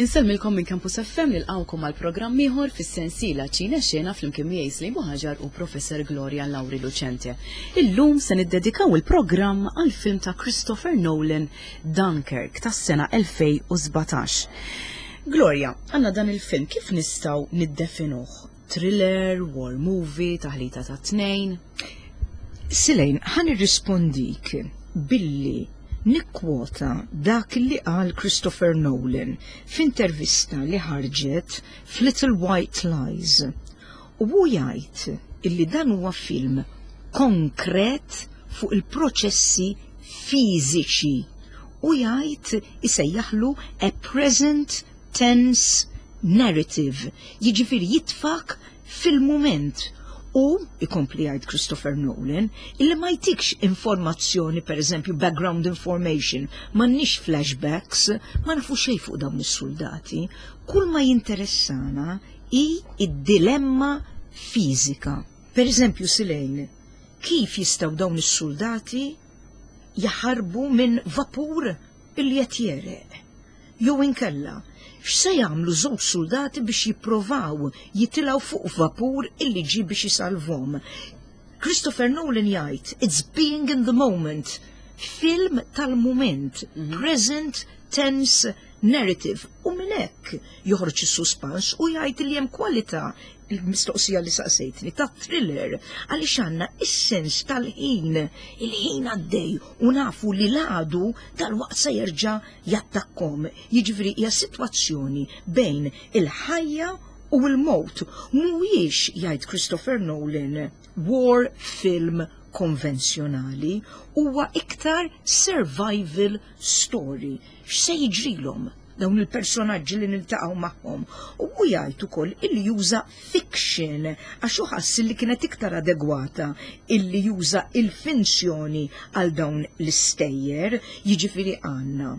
Insellmilkom minn Campus FM nilqgħukom għal programm ieħor fis-sensiela Ċine Xena flimkien miegħi Slim Buħaġar u Professor Gloria Lauri Lucente. Illum se niddedikaw il-programm għal film ta' Christopher Nolan Dunkirk tas-sena 2017. Gloria, għandna dan il-film kif nistgħu niddefinuh? Thriller, war movie, taħlita ta' tnejn? Silejn, ħa nirrispondik billi nikkwota dak li qal Christopher Nolan f'intervista li ħarġet f'Little White Lies. U hu jgħid illi dan huwa film konkret fuq il-proċessi fiżiċi u jgħid isejjaħlu a present tense narrative, jiġifieri jitfak fil-mument u, ikompli jgħid Christopher Nolan, illi ma jtikx informazzjoni, per eżempju, background information, m'għandniex flashbacks, ma nafu xejn fuq dawn is-suldati. Kull ma jinteressana hi d-dilemma fiżika. Per eżempju, Silejn, kif jistgħu dawn is-suldati jaħarbu minn vapur illi qed jegħreq? Jew inkella, x'se jagħmlu żewġ suldati biex jipprovaw jitilgħu fuq vapur illi ġie biex isalvhom? Christopher Nolan jgħid, it's being in the moment, film tal-mument, present tense narrative, u minn hekk joħroġ is-suspans u jgħid li hemm kwalità il-mistoqsija li saqsejtni ta' thriller għaliex għandna is-sens tal-ħin, il-ħin għaddej u nafu li l-għadu dalwaqt se jerġa' jattakkom. Jiġifieri hija sitwazzjoni bejn il-ħajja u l-mewt. Mhuwiex, jgħid Christopher Nolan, war film konvenzjonali, huwa iktar survival story. X'se jiġrilhom dawn il-personaġġi li niltaqgħu magħhom? U hu jgħid ukoll illi juża fiction għax hu ħass li kienet iktar adegwata illi juża il-finzjoni għal dawn l-istejjer, jiġifieri għandna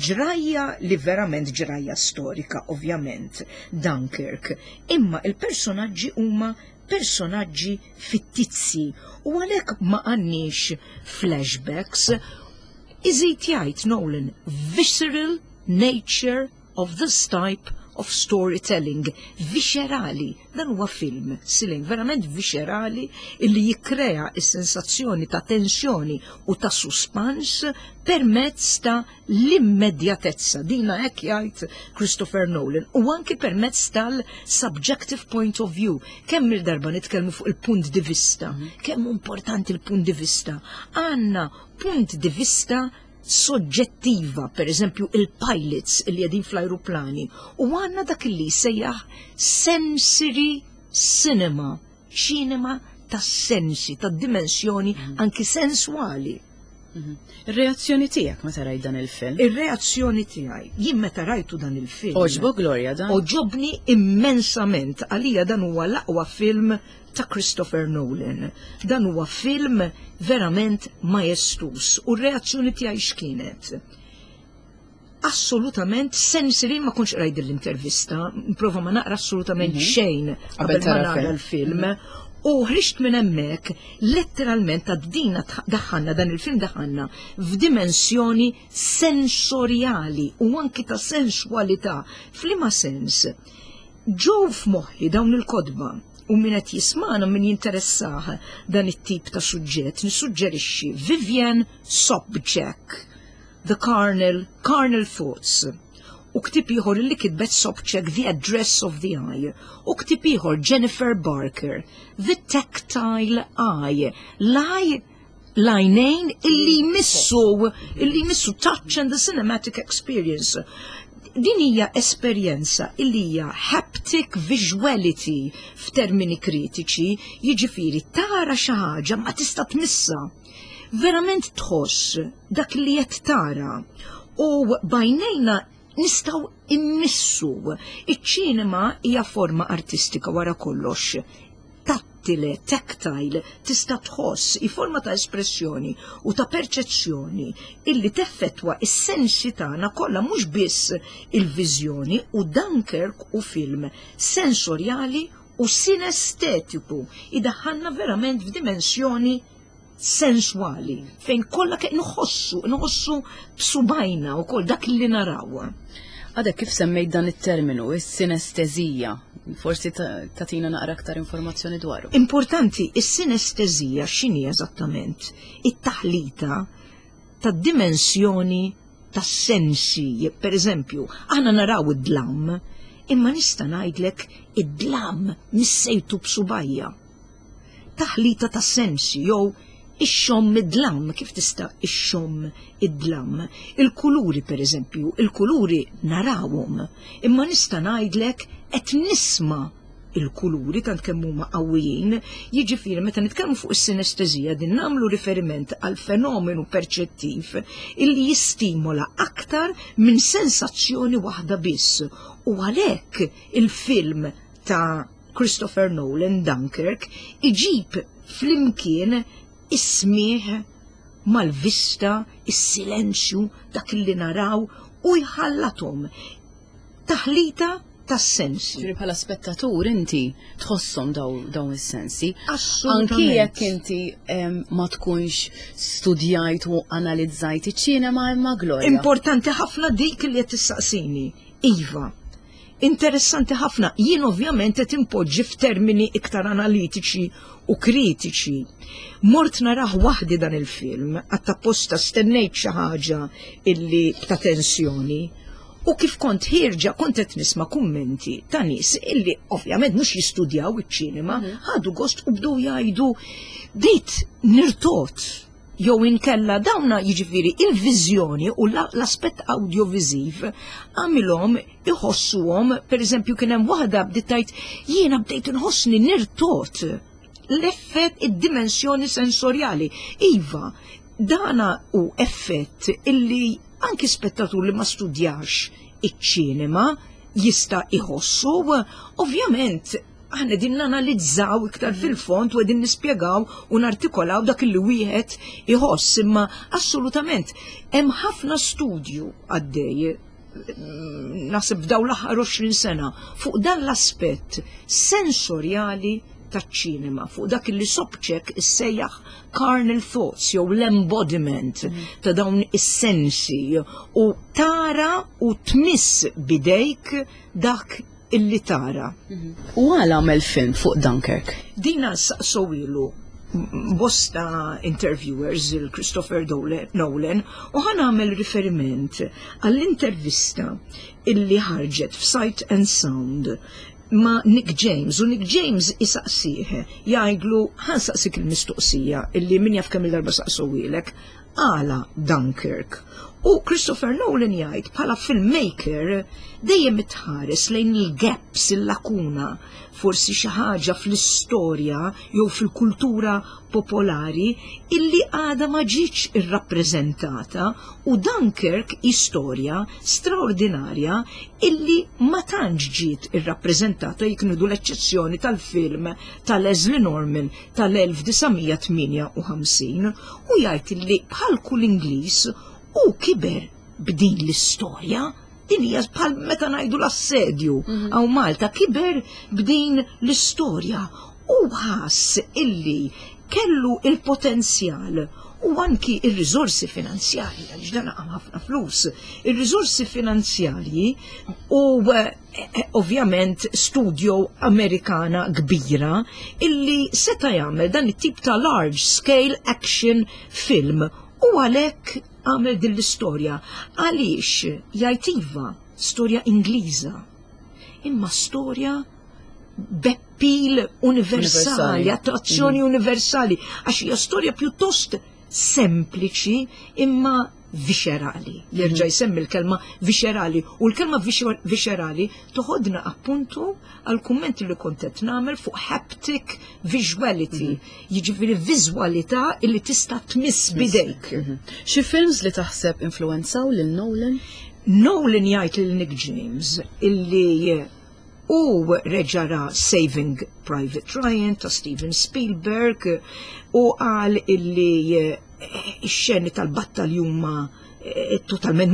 ġrajja li verament ġrajja storika, ovvjament, Dunkirk, imma il-personaġġi huma personaġġi fittizzi u għalhekk ma għandniex flashbacks. Iżid jgħid Nolan, visceral nature of this type of storytelling, viscerali. Dan huwa film, Silin, verament viscerali illi jikkrea s-sensazzjoni ta' tensjoni u ta' suspans permezz ta' l-immedjatezza. Dina hekk jgħid Christopher Nolan. U anki permezz tal-subjective point of view. Kemm il-darba nitkellmu fuq il-punt di vista, kemm importanti il-punt di vista. Għandna punt di vista soġġettiva, per eżempju il-pilots li qegħdin fl-ajruplani, u għandna dak li sejjaħ sensory cinema, ċinema tas-sensi, tad-dimensjoni anki sensuali. Ir-reazzjoni tiegħek meta rajt dan il-film? Ir-reazzjoni tiegħi, jien meta rajtu dan il-film. Għoġbok Gloria dan? Għoġobni immensament, għalija dan huwa l-aqwa film ta' Christopher Nolan. Dan huwa film verament majestuż u r-reazzjoni tiegħi x'kienet? Assolutament sensory, ma kontx rajt l-intervista, prova ma naqra assolutament xejn qabel ma tara nara film. l-film. U ħriġt minn hemmhekk letteralment ta' dina daħħalna dan il-film daħħalna f'dimensjoni sensorjali u anki ta' sensualità. F'liema sens? Ġew f'moħħi dawn il-kotba u min qed jismana min jinteressah dan it-tip ta' suġġett nissuġġerixxi Vivian Sobchack, The Carnal Thoughts, u ktieb ieħor li kitbet Sobchack, The Address of the Eye, u ktieb ieħor Jennifer Barker, The Tactile Eye, l-eye l-għajnejn illi jmissu, illi jmissu touch and the cinematic experience. Din hija esperjenza illi hija haptic visuality f'termini kritiċi, jiġifieri tara xi ħaġa ma tista' tmissa. Verament tħoss dak li qed tara u b'għajnejna nistgħu immissu. Iċ-ċinema hija forma artistika wara kollox. Tattile, tactile, tista' tħoss, hi forma ta' espressjoni u ta' perċezzjoni illi teffettwa is-sensi tagħna kollha mhux biss il-viżjoni u Dunkirk u film sensorjali u sinestetiku idaħħalna verament f'dimensjoni sensuali fejn kollha ke nħossu, nħossu b'subajna u koll dak li naraw. Għadek kif semmejt dan it-terminu, is-sinestezija, forsi tatina naqra aktar informazzjoni dwaru. Importanti, is-sinestezija x'inhi eżattament? It-taħlita tad-dimensjoni tas-sensi. Per eżempju, aħna naraw id-dlam, imma nista' ngħidlek id-dlam missejtu b'subajja. Taħlita tas-sensi jew ixxomm id-dlam, kif tista' ixxomm id-dlam? Il-kuluri per eżempju, il-kuluri narawhom, imma nista' ngħidlek qed nisma' il-kuluri tant kemm huma qawwijin, jiġifieri meta nitkellmu fuq is-sinestezija din nagħmlu riferiment għal fenomenu perċettiv illi jistimola aktar minn sensazzjoni waħda biss. U għalhekk il-film ta' Christopher Nolan Dunkirk iġib flimkien is-smigħ mal-vista, is-silenzju, dak li naraw u jħallathom. Taħlita tas-sensi. Ġifieri bħala spettatur inti tħosshom dawn is-sensi. Anki jekk inti ma tkunx studjajt u analizzajt iċ-ċinema imma Gloria. Importanti ħafna dik li qed tissaqsini. Iva, interessanti ħafna. Jien ovvjament qed impoġġi f'termini iktar analitiċi u kritiċi. Mort narah waħdi dan il-film, għatt apposta stennejt xi ħaġa illi ta' tensjoni. U kif kont ħierġa kont qed nisma' kummenti ta' nies illi ovvjament mhux jistudjaw iċ-ċinema, ħadu gost u bdew jgħidu bdejt nirtot jew inkella dawna jiġifieri il-viżjoni u l-aspett audioviżiv għamilhom iħossuhom, pereżempju kien hemm waħda bdiet tgħid jiena bdejt inħossni nirtot l-effett id-dimensjoni sensorjali. Iva, dana u effett illi anki spettatur li ma studjax iċ-ċinema jista' iħossu, ovvjament aħna din nanalizzaw iktar fil-fond u qegħdin nispjegaw u nartikolaw dak li wieħed iħoss, imma assolutament hemm ħafna studju għaddej naħseb f'dawn l-aħħar 20 sena fuq dan l-aspett sensorjali taċ-ċinema, fuq dak li Sobczak issejjaħ carnal thoughts jew l-embodiment ta' dawn is-sensi u tara u tmiss bidejk dak illi tara. U għala għamel film fuq Dunkirk? Dina saqsowilu bosta interviewers il-Christopher Nolan u ħa nagħmel riferiment għall-intervista illi ħarġet f'Sight and Sound ma' Nick James u Nick James isaqsih jgħidlu ħa nsaqsik il-mistoqsija illi min jaf kemm il-darba saqsowilek għala Dunkirk. U Christopher Nolan jgħid bħala filmmaker dejjem itħares lejn il-gaps, il-lakuna, forsi xi ħaġa fl-istorja jew fil-kultura popolari illi għada ma ġietx irrappreżentata u Dunkirk hi storja straordinarja illi ma tantx ġiet irrappreżentata jekk nieħdu l-eċċezzjoni tal-film ta' Leslie Norman tal-1958 u jgħid illi bħal kull Ingliż u kiber b'din l-istorja. Din hija bħal meta ngħidu l-assedju hawn Malta, kiber b'din l-istorja u ħass illi kellu il-potenzjal u anki il-riżorsi finanzjarji, għaliex dan għam ħafna flus, il-riżorsi finanzjarji u ovvjament studio Amerikana kbira illi seta' jagħmel dan it-tip ta' large scale action film u għalhekk għamel din l-istorja. Għaliex jgħid iva, storja Ingliża, imma storja b'appeal universali, attrazzjoni universali, għax hija storja pjuttost sempliċi imma viscerali. Jerġa' jsemmi l-kelma viscerali u l-kelma viscerali toħodna appuntu għal kummenti li kont qed nagħmel fuq haptic visuality, jiġifieri viżwalità illi tista' tmiss bidejk. Xi films li taħseb influenzaw lil Nolan? Nolan jgħid lil Nick James illi u reġa' ra Saving Private Ryan ta' Steven Spielberg u qal illi ix-xeni tal-battalji huma totalment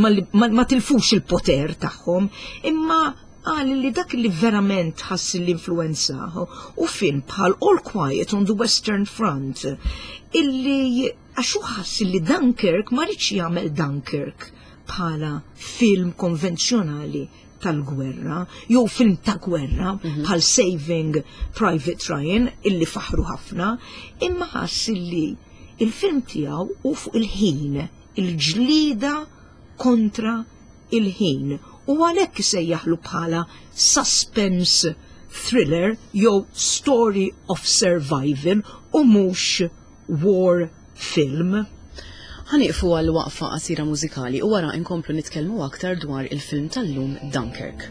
ma tilfux il-poter tagħhom, imma qal li dak li verament ħass l-influenza u film bħal All Quiet on the Western Front illi għax hu ħass li Dunkirk ma riedx jagħmel Dunkirk. bħala film konvenzjonali tal-gwerra, jew film ta' gwerra mhm. bħal Saving Private Ryan illi faħru ħafna, imma ħass illi il-film tiegħu hu fuq il-ħin, il-ġlida kontra il-ħin u għalhekk isejjaħlu bħala suspense thriller jew story of survival u mhux war film. Ħa nieqfu għal waqfa qasira mużikali u wara inkomplu nitkellmu aktar dwar il-film tal-lum Dunkirk.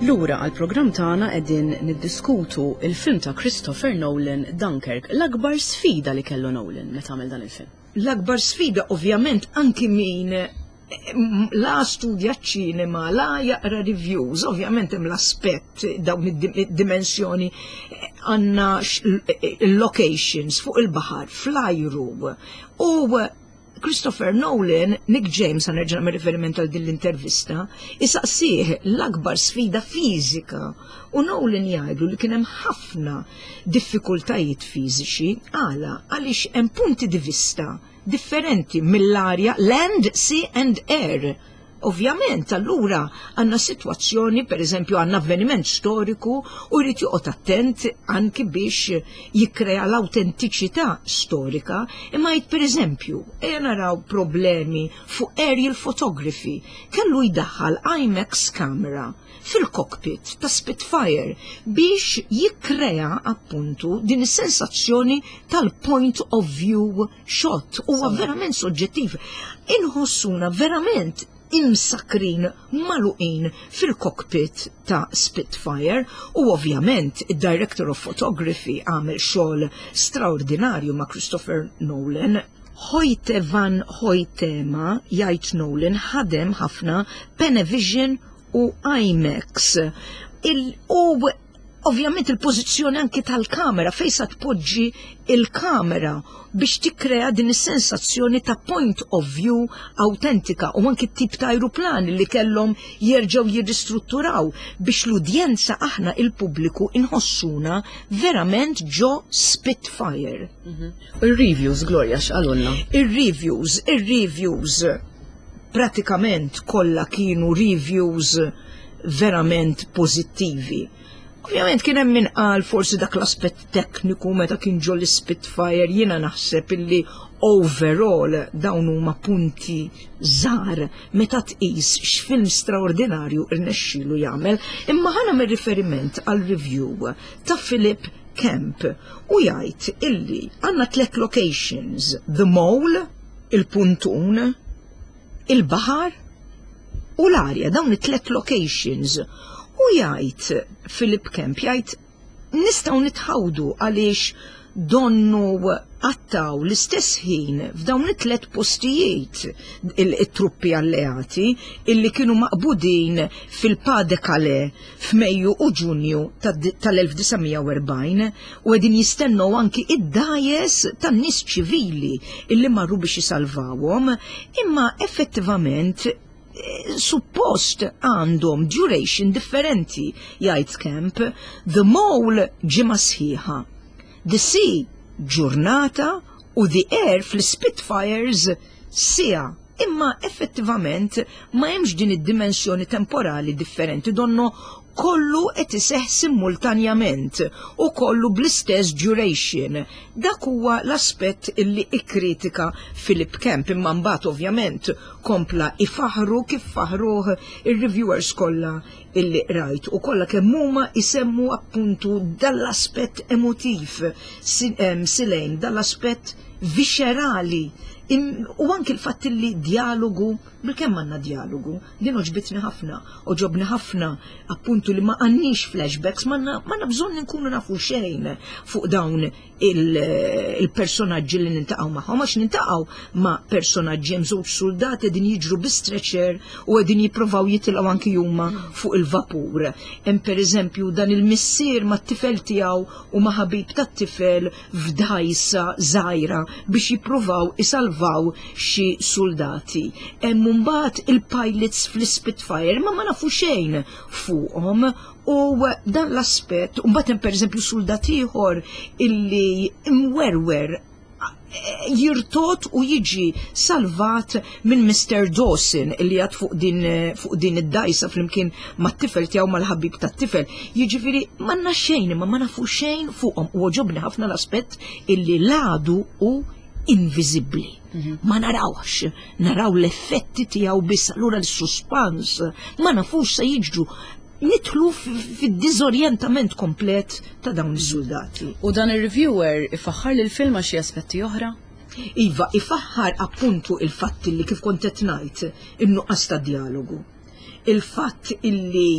Lura għall-programm tagħna qegħdin niddiskutu il-film ta' Christopher Nolan Dunkirk, l-akbar sfida li kellu Nolan meta għamel dan il-film. L-akbar sfida ovvjament anki min la studja ċinema, la jaqra reviews, ovvjament hemm l-aspett dawn id-dimensjoni għandna locations fuq il-baħar, fl-ajru. U Christopher Nolan, Nick James, għan nerġa' nagħmel riferiment għal din l-intervista, isaqsih l-akbar sfida fiżika u Nolan jgħidlu li kien hemm ħafna diffikultajiet fiżiċi għala għaliex hemm punti di vista differenti mill-arja land, sea and air. Ovvjament, allura għandna sitwazzjoni, per eżempju, għandna avveniment storiku u jrid joqgħod attent anki biex jikkrea l-awtentiċità storika, imma jgħid per eżempju, ejja naraw problemi fuq aerial photography, kellu jdaħħal IMAX camera fil-cockpit ta' Spitfire biex jikkrea appuntu din is-sensazzjoni tal-point of view shot. Huwa verament soġġettiv. Inħossuna verament imsakrin magħluqin fil-cockpit ta' Spitfire u ovvjament id-director of photography għamel xogħol straordinarju ma' Christopher Nolan. Hoyte van Hoytema, jgħid Nolan, ħadem ħafna Panavision u IMAX. U ovvjament il-pożizzjoni anki tal-kamera, fejn sa tpoġġi il-kamera biex tikkrea din is-sensazzjoni ta' point of view autentika u anki t-tip ta' aeroplan li kellhom jerġgħu jirristrutturaw biex l-udjenza, aħna il-pubbliku, inħossuna verament ġo Spitfire. Il-reviews, Gloria, x'qalulna? Il-reviews pratikament kollha kienu reviews verament pożittivi. Ovvjament kien hemm min qal forsi dak l-aspett tekniku meta kien ġo l-Spitfire, jiena naħseb illi overall dawn huma punti żgħar meta tqis x'film straordinarju rnexxielu jagħmel. Imma ħa nagħmel riferiment għal review ta' Philip Kemp u jgħid illi għandna tliet locations: The Mole, il-puntun, il-baħar u l-arja, dawn it-tliet locations. U jgħid Philip Kemp, jgħid nistgħu nitħawdu għaliex donnu qattgħu l-istess ħin f'dawn it-tliet postijiet il-truppi alleati illi kienu maqbudin fil-Pas de Calais f'Mejju u Ġunju tal-1940 u qegħdin jistennew anki id-dgħajjes tan-nies ċivili illi marru biex jisalvawhom, imma effettivament suppost għandhom duration differenti, jgħid Kemp. The Mole ġimgħa sħiħa, The Sea ġurnata u The Air fl-Spitfires siegħa. Imma effettivament ma hemmx din id-dimensjoni temporali differenti, donno kollu qed iseħħ simultanjament u kollu bl-istess duration. Dak huwa l-aspett illi ikkritika Philip Kemp, imma mbagħad ovvjament kompla ifaħru kif faħruh ir-reviewers kollha illi rajt u kollha kemm huma isemmu appuntu dal-aspett emotiv silejn, dal-aspett viscerali u anki l-fatt li dialogu, bil-kemm għandna dialogu, din għoġbitni ħafna, għoġobni ħafna appuntu li ma għandniex flashbacks, ma bżonn nkunu nafu xejn fuq dawn il-personaġġi li niltaqgħu magħhom, għax niltaqgħu ma' personaġġi, hemm żewġ soldati qegħdin jiġru bi stretcher u qegħdin jippruvaw jitilgħu anki huma fuq il-vapur. Hemm pereżempju dan il-missier mat-tifel tiegħu u ma' ħabib tat-tifel f'dgħajsa żgħira biex jippruvaw isalvaw xi soldati. Hemm mbagħad il-pilots fl-Spitfire, ma ma nafu xejn fuqhom u dan l-aspett, u mbagħad hemm pereżempju soldat ieħor illi imwerwer jirtot u jiġi salvat minn Mr. Dawson illi għad fuq din id-dgħajsa flimkien mat-tifel tiegħu, mal-ħabib tat-tifel. Jiġifieri m'għandna xejn, imma ma nafu xejn fuqhom u għoġobni ħafna l-aspett illi l-għadu hu inviżibbli. Ma narawx, naraw l-effetti tiegħu biss, allura l-suspans, ma nafux se jiġru, nidħlu fid-diżorjentament komplet ta' dawn is-soldati. U dan ir-reviewer ifaħħar lil film għal xi aspetti oħra? Iva, ifaħħar appuntu il-fatt li kif kont qed ngħid, in-nuqqas ta' dialogu. Il-fatt illi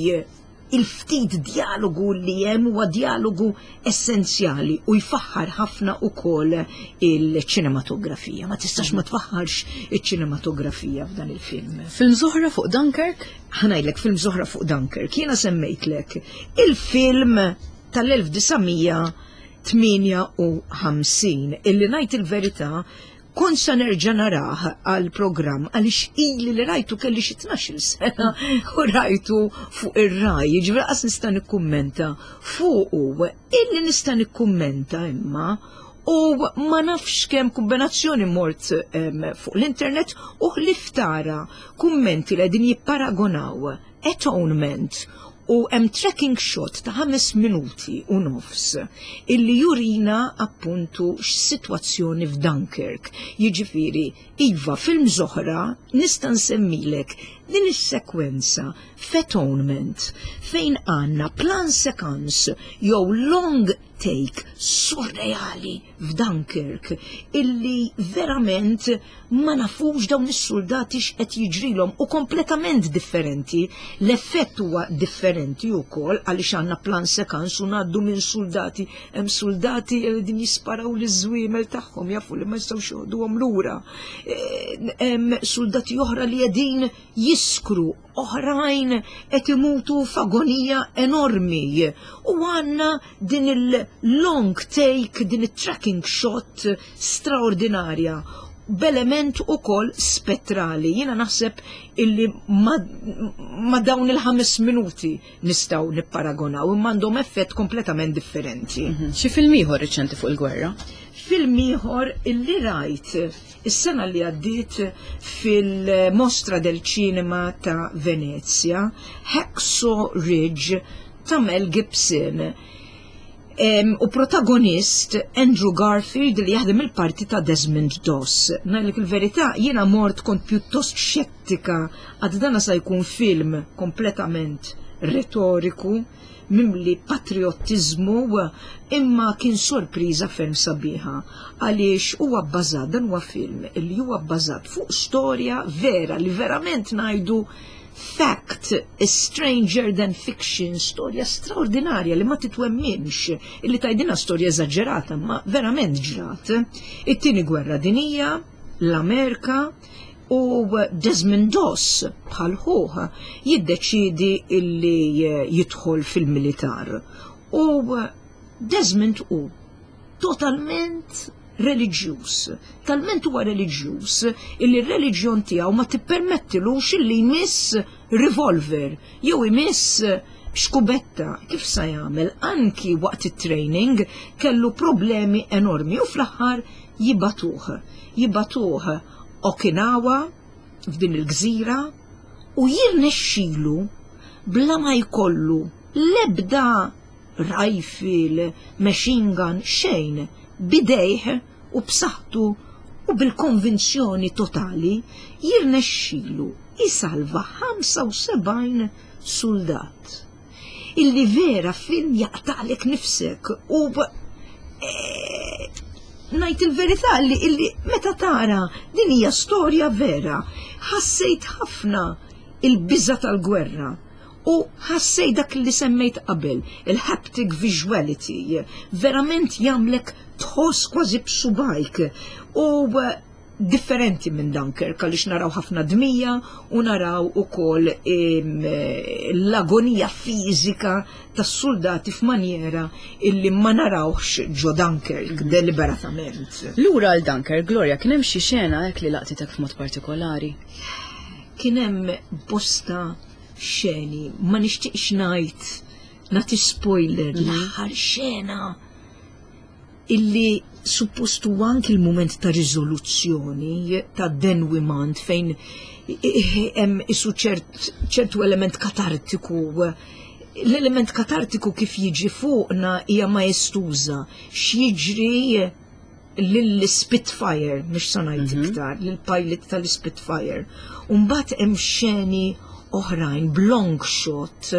il-ftit dialogu li hemm huwa dialogu essenzjali u jfaħħar ħafna ukoll il-ċinematografija. Ma tistax ma tfaħħarx iċ-ċinematografija f'dan il-film. Film oħra fuq Dunkirk? Ħa ngħidlek film oħra fuq Dunkirk. Jiena semmejtlek il-film tal-1958 illi ngħid il-verità kont sa nerġa' narah għal programm għaliex ili li rajtu, kelli xi 12 sena u rajtu fuq ir-Rai, jiġifieri qas nista' nikkummenta fuqu. Illi nista' nikkummenta imma U ma nafx kemm kombinazzjoni mort fuq l-internet u ħlief tara kummenti li qegħdin jipparagonaw Atonement u hemm tracking shot ta' 5 minuti u nofs illi jurina appuntu x'sitwazzjoni f'Dunkirk. Jiġifieri, iva, films oħra nista' nsemmilek din is-sekwenza f'Atonement fejn għandna plan sequence jew long take surreali f'Dunkirk illi verament ma nafux dawn is-suldati x'qed jiġrilhom u kompletament differenti. L-effett huwa differenti wkoll għaliex għandna plan sekans u ngħaddu minn suldati, hemm suldati li din jisparaw liż-żwiemel tagħhom jafu li ma jistgħux joħduhom lura. Eh, hemm suldati oħra li qegħdin jiskru oħrajn qed imutu f'agonija enormi u għandna din il-long take, din it-tracking shot straordinarja b'element ukoll spettrali. Jiena naħseb illi ma, ma dawn il-ħames minuti nistgħu nipparagonaw imma għandhom effett kompletament differenti. Mhm. Xi film ieħor riċenti fuq il-gwerra? Film ieħor illi rajt Is-sena li għaddiet fil-Mostra del Cinema ta' Venezia, Hacksaw Ridge ta' Mel Gibson u protagonist Andrew Garfield li jaħdem il-parti ta' Desmond Doss. Ngħidlek il-verità, jiena mort kont pjuttost xettika għad dana sa jkun film kompletament retoriku mimli patriottiżmu imma kien sorpriża ferm sabiħa għaliex huwa bbażat dan huwa film li huwa bbażat fuq storja vera li verament ngħidu fact is stranger than fiction, storja straordinarja li ma titwemminx, illi tajdina storja eżaġerata, ma verament ġrat. It-tieni gwerra dinija, l-Amerika, U Desmond Doss, bħal ħuh, jiddeċiedi illi jidħol fil-militar. U Desmond hu totalment reliġjuż. Talment huwa reliġjuż illi r-reliġjon tiegħu ma tippermettilux illi jmiss revolver jew imiss xkubetta. Kif sa jagħmel? Anki waqt it-training kellu problemi enormi u fl-aħħar jibagħtuh. Jibagħtuh Okinawa, f'din il-gżira, u jirnexxilu bla ma jkollu l-ebda rifle, machine gun, xejn, b'idejh u b'saħħtu u bil-konvinzjoni totali jirnexxilu jsalva 75 suldat. Illi vera film jaqtagħlek nifsek u eh, ngħid il-verità li illi meta tara din hija storja vera, ħassejt ħafna il-biża tal-gwerra u ħassejt dak li semmejt qabel, il-haptic visuality, verament jagħmlek tħoss kważi b'subajk u differenti minn Dunkirk għaliex naraw ħafna dmija u naraw ukoll l-agonija fiżika tas-suldati f'manjera illi ma narawx ġo Dunkirk deliberatament. Lura għal Dunkirk, Gloria, kien hemm xi xena hekk li laqtitek f'mod partikolari? Kien hemm bosta xeni, ma nixtieqx ngħid nagħti spoiler l-aħħar xena illi suppost huwa anki l-mument ta' riżoluzzjoni, ta' denwiment fejn hemm isu ċertu element katartiku. L-element katartiku kif jiġi fuqna hija maestuża, x'jiġri lill-Spitfire, mhux sa ngħid mhm. iktar, lill-pilot tal-Spitfire. U mbagħad hemm xeni oħrajn b'long shot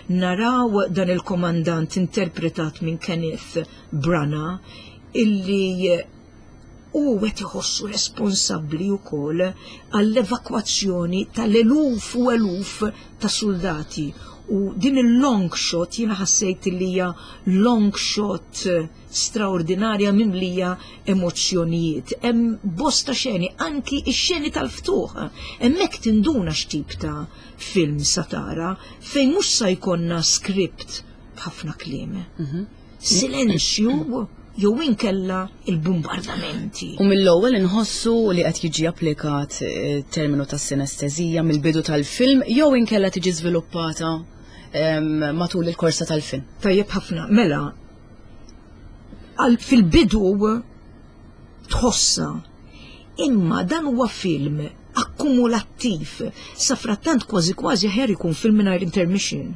naraw dan il-komandant interpretat minn Kenneth Branagh illi hu qed iħossu responsabbli wkoll għall-evakwazzjoni tal-eluf u eluf ta' suldati. U din il-long shot jiena ħassejt li hija long shot straordinarja mimlija emozzjonijiet. Hemm bosta xeni, anki x-xeni tal-ftuħ. Hemmhekk tinduna x'tip ta' film sa tara fejn mhux sa jkollna script b'ħafna kliem. Mhm. Silenzju jew inkella il-bombardamenti. U mill-ewwel inħossu li qed jiġi applikat eh, terminu ta' sinestezija mill-bidu tal-film jew inkella tiġi żviluppata matul il-korsa tal-film. Tajjeb ħafna, mela fil-bidu Tħossha. Imma dan huwa film akkumulattiv. Safrattant kważi kważi aħjar ikun film mingħajr intermission.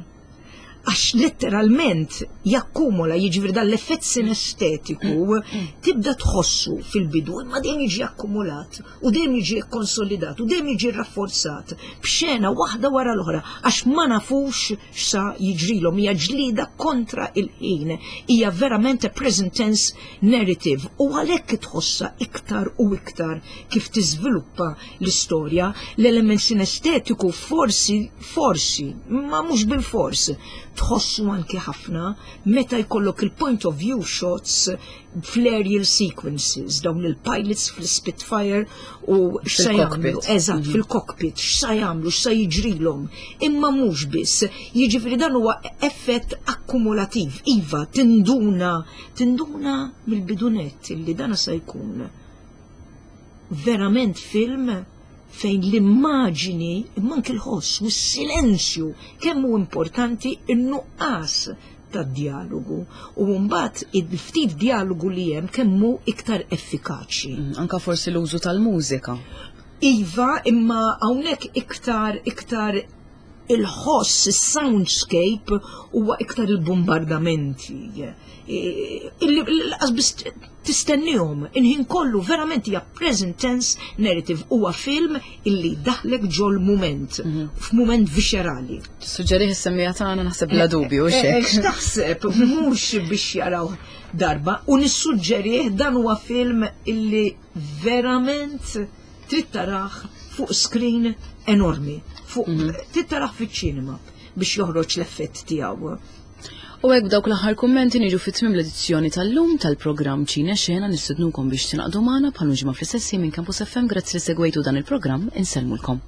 Għax letteralment jakkumula, jiġifieri dan l-effett sinestetiku tibda tħossu fil-bidu, imma dejjem jiġi akkumulat u dejjem jiġi kkonsolidat u dejjem jiġi rafforzat b'xena waħda wara l-oħra għax ma nafux x'sa jiġrilhom. Hija ġlieda kontra il-ħin, hija verament a present tense narrative u għalhekk tħossha iktar u iktar kif tiżviluppa l-istorja. L-element sinestetiku forsi Forsi, ma mhux bilfors, tħossu anki ħafna meta jkollok il-point of view shots fl-aerial sequences, dawn il-pilots fl-Spitfire u x'sa jagħmlu, eżatt, mhm. fil-cockpit, x'sa jagħmlu, x'sa jiġrilhom. Imma mhux biss, jiġifieri dan huwa effett akkumulativ. Iva, tinduna, tinduna mill-bidunet illi dan se jkun verament film fejn l-immaġini, imma anki l-ħoss u s-silenzju kemm hu importanti n-nuqqas tad-djalogu u mbagħad il-ftit djalogu li hemm kemm hu iktar effikaċi. Mm, anka forsi l-użu tal-mużika. Iva, imma hawnhekk iktar iktar il-ħoss, is-soundscape huwa iktar il-bombardamenti. Illi laqas biss tistennihom, il-ħin kollu verament hija present tense narrative huwa film illi daħlek ġol mument, mhm. f'mument viscerali. Tissuġġerih is-semmija tagħna naħseb bla dubju eh, eh, X'taħseb mhux biex jaraw darba u nissuġġerih dan huwa film illi verament trid tarah fuq screen enormi, fuq mhm. trid tarah fiċ-ċinema biex joħroġ l-effett tiegħu. U hekk b'dawk l-aħħar kummenti niġu fi tmiem l-edizzjoni tal-lum tal-programm Ċine Xena nistednukom biex tingħaqdu magħna bħal ġimgħa fl-istess minn Campus FM grazzi li segwejtu dan il-programm insellmulkom.